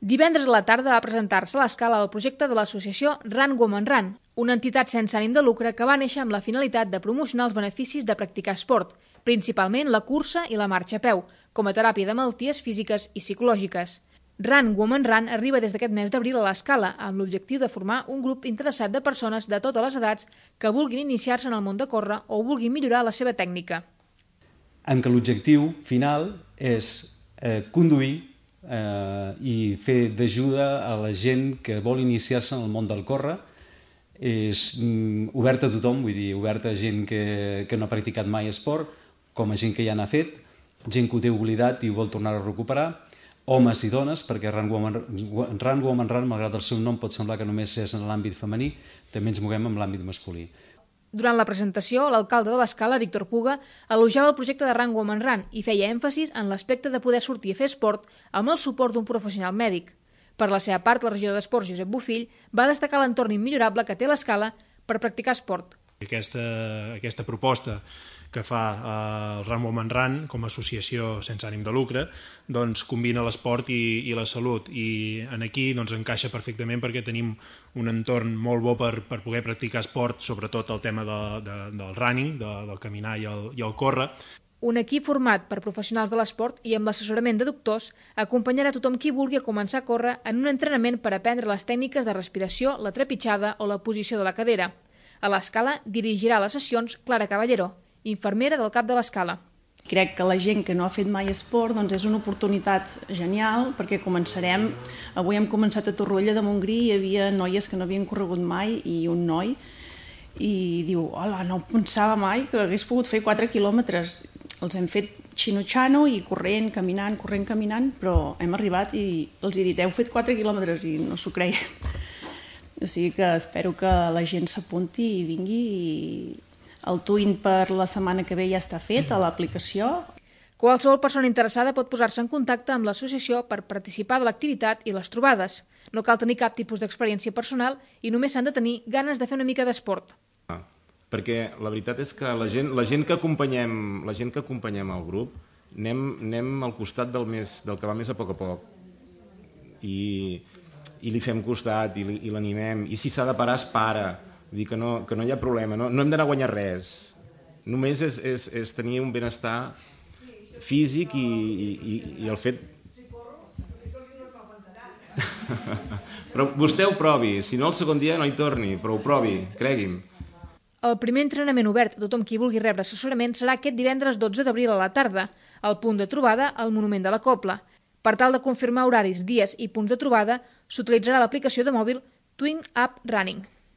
Divendres a la tarda va presentar-se a l'Escala el projecte de l'associació Run Women Run, una entitat sense ànim de lucre que va néixer amb la finalitat de promocionar els beneficis de practicar esport, principalment la cursa i la marxa a peu, com a teràpia de malalties físiques i psicològiques. Run Women Run arriba des d'aquest mes d'abril a l'Escala amb l'objectiu de formar un grup interessat de persones de totes les edats que vulguin iniciar-se en el món de córrer o vulguin millorar la seva tècnica. En què l'objectiu final és conduir i fer d'ajuda a la gent que vol iniciar-se en el món del córrer. És obert a tothom, vull dir, obert a gent que no ha practicat mai esport, com a gent que ja n'ha fet, gent que ho té oblidat i ho vol tornar a recuperar, homes i dones, perquè Run Women Run, malgrat el seu nom pot semblar que només és en l'àmbit femení, també ens movem en l'àmbit masculí. Durant la presentació, l'alcalde de l'Escala, Víctor Puga, elogiava el projecte de Run Women Run i feia èmfasis en l'aspecte de poder sortir a fer esport amb el suport d'un professional mèdic. Per la seva part, el regidor d'Esports, Josep Bofill, va destacar l'entorn immillorable que té l'Escala per practicar esport. Aquesta proposta que fa el Run Women Run com a associació sense ànim de lucre doncs combina l'esport i la salut, i aquí encaixa perfectament perquè tenim un entorn molt bo per poder practicar esport, sobretot el tema del running, del caminar i el córrer. Un equip format per professionals de l'esport i amb l'assessorament de doctors acompanyarà tothom qui vulgui començar a córrer en un entrenament per aprendre les tècniques de respiració, la trepitjada o la posició de la cadera. A l'Escala dirigirà les sessions Clara Caballero, infermera del CAP de l'Escala. Crec que la gent que no ha fet mai esport és una oportunitat genial perquè començarem. Avui hem començat a Torroella de Montgrí, hi havia noies que no havien corregut mai i un noi, i diu, hola, no pensava mai que hagués pogut fer 4 quilòmetres. Els hem fet xino-xano i corrent, caminant, però hem arribat i els he dit, heu fet 4 quilòmetres i no s'ho creien. O sigui que espero que la gent s'apunti i vingui. El twin per la setmana que ve ja està fet a l'aplicació. Qualsevol persona interessada pot posar-se en contacte amb l'associació per participar de l'activitat i les trobades. No cal tenir cap tipus d'experiència personal i només s'han de tenir ganes de fer una mica d'esport. Perquè la veritat és que la gent que acompanyem al grup anem al costat del que va més a poc, i li fem costat i l'animem, i si s'ha de parar es para, vull dir que no hi ha problema, no hem d'anar a guanyar res, només és tenir un benestar físic i el fet... Però vostè ho provi, si no el segon dia no hi torni, però ho provi, cregui'm. El primer entrenament obert a tothom qui vulgui rebre assessorament serà aquest divendres 12 d'abril a la tarda, al punt de trobada al Monument de la Cobla. Per tal de confirmar horaris, dies i punts de trobada, s'utilitzarà l'aplicació de mòbil Twin App Running.